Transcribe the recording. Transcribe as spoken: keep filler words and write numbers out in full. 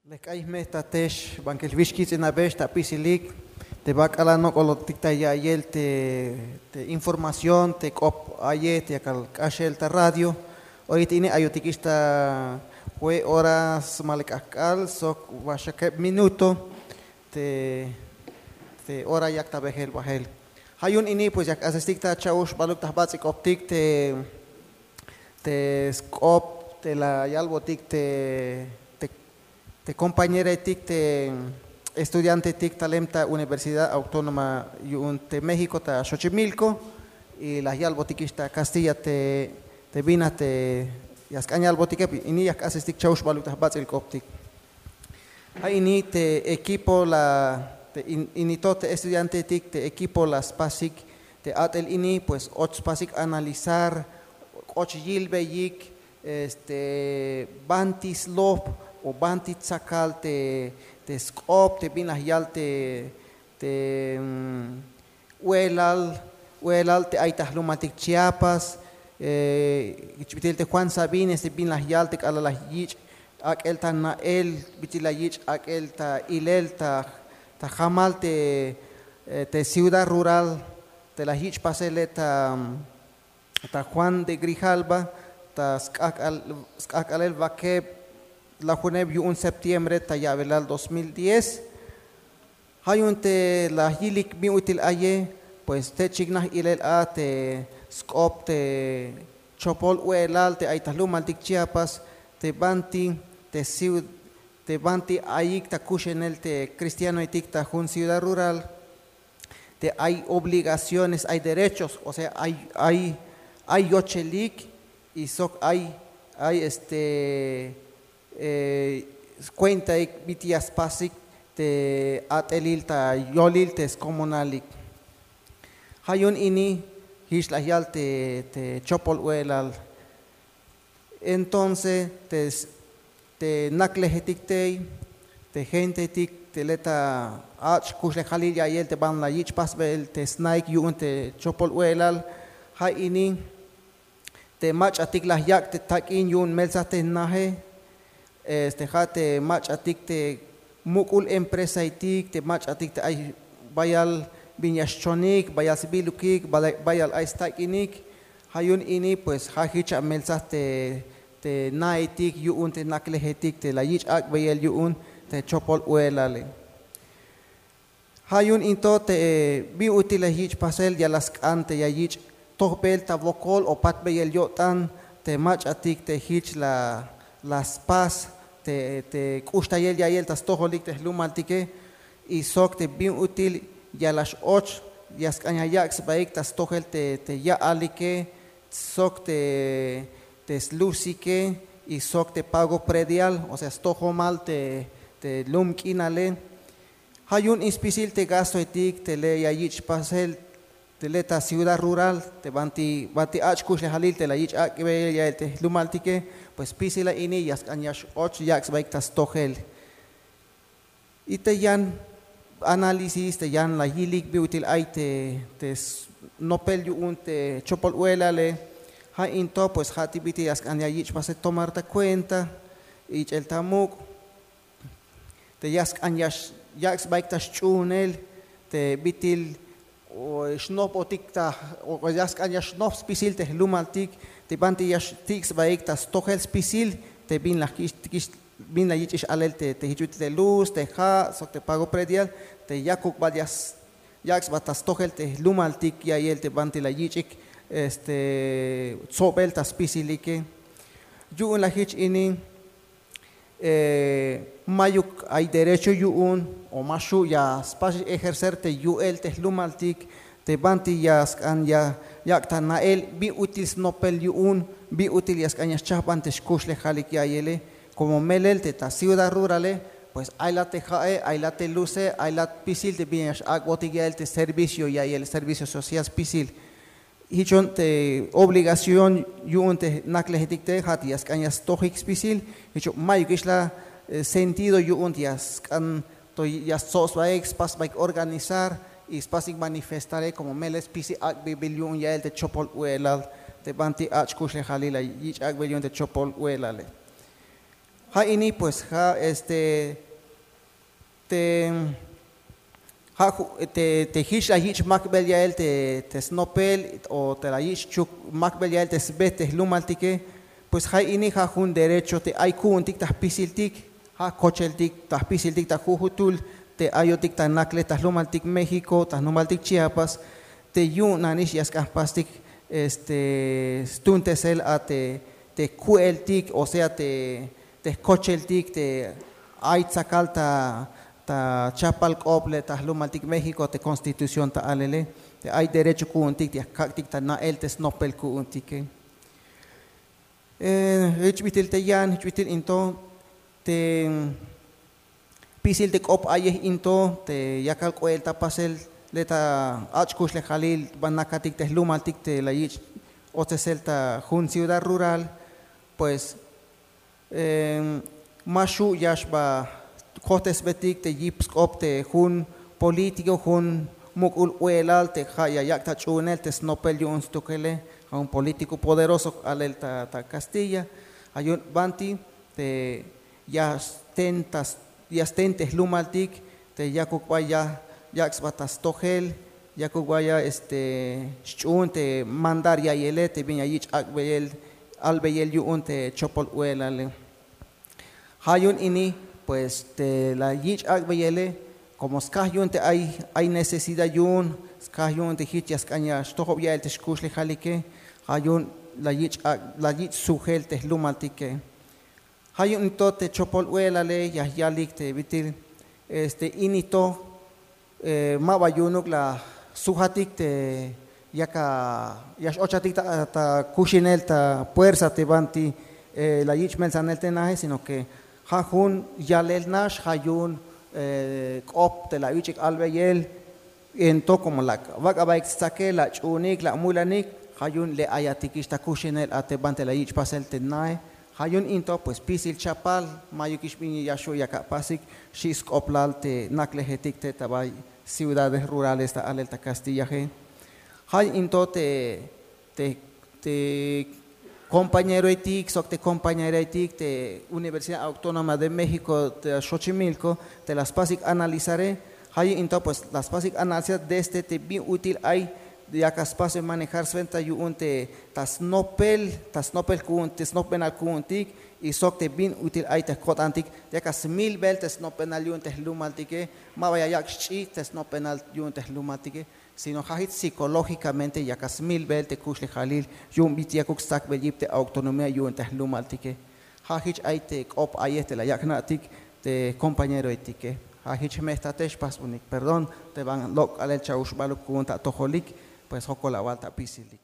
Lek k'ay jme ta tex bankel wix kits'inabex ta apisilik te ba k'alal nok'olotik ta ya'iyel te información te k'op a'yej te yakal k'axel ta radio. Oyet ini ayotikix ta jue' hora smalek ajk'al sok waxakeb minuto te hora yak ta bejel bajel. Ja' yu'un ini pues ya jk'asestik ta cha'uxbaluk ta jbats'il k'optik te te sk'op te la yalbotik te te compañeretik te estudiantetik talem ta Universidad Autónoma yu'un te México ta Xochimilco. Y la yalbotikix ta kastilla te te bin a te ya sk'an yalbotike. Ini ya jk'asestik cha'uxbaluk ta jbats'il k'optik. Ja' ini te equipo la te ini to te estudiantetik te equipo la spasik te a'tel ini pues och spasik analizar, k'och yilbeyik este banti slop o banti tsakal te te sk'op te bin la yal te te u'elal u'elal te ay ta jlumaltik Chiapas. Jich bit'il te Juan Sabines te bin la yal te k'alal la yich' ak'el ta na'el bit'il la yich' ak'el ta ilel ta jamal te te ciudad rural te la yich' pasele ta ta Juan de Grijalva ta sk'ajk'alel wakeb lajuneb yu'un septiembre ta ya'belal dos mil diez. Ja' yu'un te la yilik bin ut'il aye pues te chiknaj ilel a te sk'op te chopol u'elal te ay ta jlumaltik Chiapas te banti te ciudad te banti ayik ta kuxenel te cristianoetik ta jun ciudad rural te ay obligaciones ay derechos o sea ay ay ay yochelik y sok ay ay este cuentaik bit'il ya spasik te a'telil ta yolil te skomonalik. Ja' yu'un ini jich la yal te te chopol u'elal. Entonces te te naklejetik tey te gentetik te le ta ach' kuxlejalil ya'iyel te ban la yich' pasbel te sna'ik yu'un te chopol u'elal. Ja' ini te mach'atik la yak' te tak'in yu'un meltzaj te naje este ja' te mach'atik te muk'ul empresaetik te mach'atik te ay bayal bin ya xchonik bayal sbilukik bayal ay stak'inik. Ja' yu'un ini pues ja' jich a meltzaj te te naetik yu'un te naklejetik te la yich' ak'beyel yu'un te chopol u'elale. Ja' yu'un into te bin ut'il la yich' pasel ya la sk'an te ya yich' tojbel ta wokol o patbeyel yo'tan te mach'atik te jich la la spas te te k'uxtayel ya'iyel ta stojolik te jlumaltike. Y sok te bin ut'il ya la x-och ya sk'an ya yak' sbaik ta stojel te te ya'alike sok te te slusike y sok te pago predial o sea stojomal te te lum k'inale. Ja' yu'un in spisil te gastoetik te le ya yich' pasel te le ta ciudad rural te banti banti ach' kuxlejalil te la yich' ak'beyel ya'el te jlumaltike. Pues spisil a ini ya sk'an ya x-och yak' sbaik ta stojel. Y te yan análisis te yan la yilik bin ut'il ay te te snopel yu'un te chopol u'elale. Ja' into pues ja' ti bit'il ya sk'an ya yich' pasel tomar ta cuenta ich'el ta muk' te ya sk'an ya yak' sbaik ta xch'uunel te bit'il xnojbotik ta ya sk'an ya xnoj spisil te jlumaltik te banti ya xtik' sbaik ta stojel spisil te bin la kix bin la yich'ix alel te jich ut'il te luz te ja' sok te pago predial te yakuk bal ya yak' sba ta stojel te jlumaltik ya'iyel te banti la yich'ik este tsobel ta spisilike. Yu'un la jich ini mayuk ay derecho yu'un o ma xu' ya spas ejercer te yu'el te jlumaltik te banti ya sk'an ya yak' ta na'el bin ut'il snopel yu'un bin ut'il ya sk'an ya xchajban te xkuxlejalik ya'iyele. Komo melel te ta ciudad rurale pues ay la te ja'e ay la te luze ay la spisil te bin ya x-ak'botik ya'iyel te servicio ya'iyel servicio social spisil. Jich yu'un te obligación yu'un te naklejetik te ja' te ya sk'an ya stojik spisil. Jich yu'un mayukix la sentido yu'un te ya sk'an to ya stsob sbaik spas sbaik organizar y spasik manifestare komo melel spisil ak'bebil yu'un ya'el te chopol u'elal te banti ach' kuxlejalil la yich' ak'bebil yu'un te chopol u'elale. Ja' ini pues ja' este te ja' te jich la yich' makbel ya'el te snopel o te la yich' chuk makbel ya'el te sbe te jlumaltike. Pues ja' ini ja' jun derecho te ay ku'untik ta jpisiltik, ja' kocheltik ta jpisiltik ta jujutul te ayotik ta nakle ta jlumaltik México, ta jlumaltik Chiapas, te yu'un nanix ya sk'an jpastik este stuuntesel a te ku'eltik, o sea te jkocheltik te ay tzakal ta chapal k'op le ta jlumaltik México, te Constitución ta alele te ay derecho ku'untik te ya kak'tik ta na'el te snopel ku'untike. Jich bit'il te yan, jich bit'il in to te jpisil te k'op a'yej in to te yakal k'oel ta pasel le ta ach' kuxlejalil ba nakatik te jlumaltik te la yich' otsesel ta jun ciudad rural. Pues ma xu' ya xba kojtesbetik te yip sk'op te jun político, jun muk'ul k'u'elal te ja' ya yak' ta ch'uunel te snopel yu'un stukele, ja' jun político poderoso alel ta kastilla. Ja' yu'un banti te ya sten te jlumaltik te yakuk bay ya yak' sba ta stojel, yakuk bay ya este xch'uun te mandar ya'iyele te bin ya yich' ak'beyel albeyel yu'un te chopol k'u'elale. Ja' yu'un ini pues te la yich' ak'beyele, komo skaj yu'un te ay necesidad yu'un, skaj yu'un te jich ya sk'an ya xtojob ya'el te xkuxlejalike, ja' yu'un la yich' sujel te jlumaltike. Ja' yu'un in to te chopol k'u'elale ya yalik te bit'il este ini to ma ba yu'unuk la sujatik te yak ya x'ochatik ta kuxinel ta puersa te banti la yich' meltsanel te naje, sino que ja' jun yalel nax, ja' yu'un k'op te la ich'ik albeyel. En to komo la wak'abaik stsakel, la ch'uunik, la mulanik, ja' yu'un le ayatikix ta kuxinel a te banti la yich' pasel te nae. Ja' yu'un in to pues spisil chapal, mayukix bin ya xu' yak apasik, xi' sk'oplal te naklejetik te ta bay ciudades rurales ta alel ta kastillaje. Ja' yu'un in to te te te compañeroetik sok te compañeraetik te Universidad Autónoma de México ta Xochimilco te la spasik analizare. Ja' yu'un in to pues la spasik analizar desde te bin ut'il ay yak a spacio manejar swenta yu'un te ta snopel, ta snopel ku'un te snopbenal ku'untik, y sok te bin ut'il ay te jko'tantik yak a smilbel te snopbenal yu'un te jlumaltike. Ma ba ya yak' xch'i te snopbenal yu'un te jlumaltike, sino ja' jich psicológicamente yak a smilbel te kuxlejalil yu'un bit'il yakuk stsakbel yip te autonomía yu'un te jlumaltike. Ja' jich ay te k'op a'yej te la yak' jna'tik te jcompañeroetike. Ja' jich jme' jtatex, pasbunik perdón te ban lok' k'aalel cha'uxbaluk ku'un ta atojolik. Pues jokol awal ta apisilik.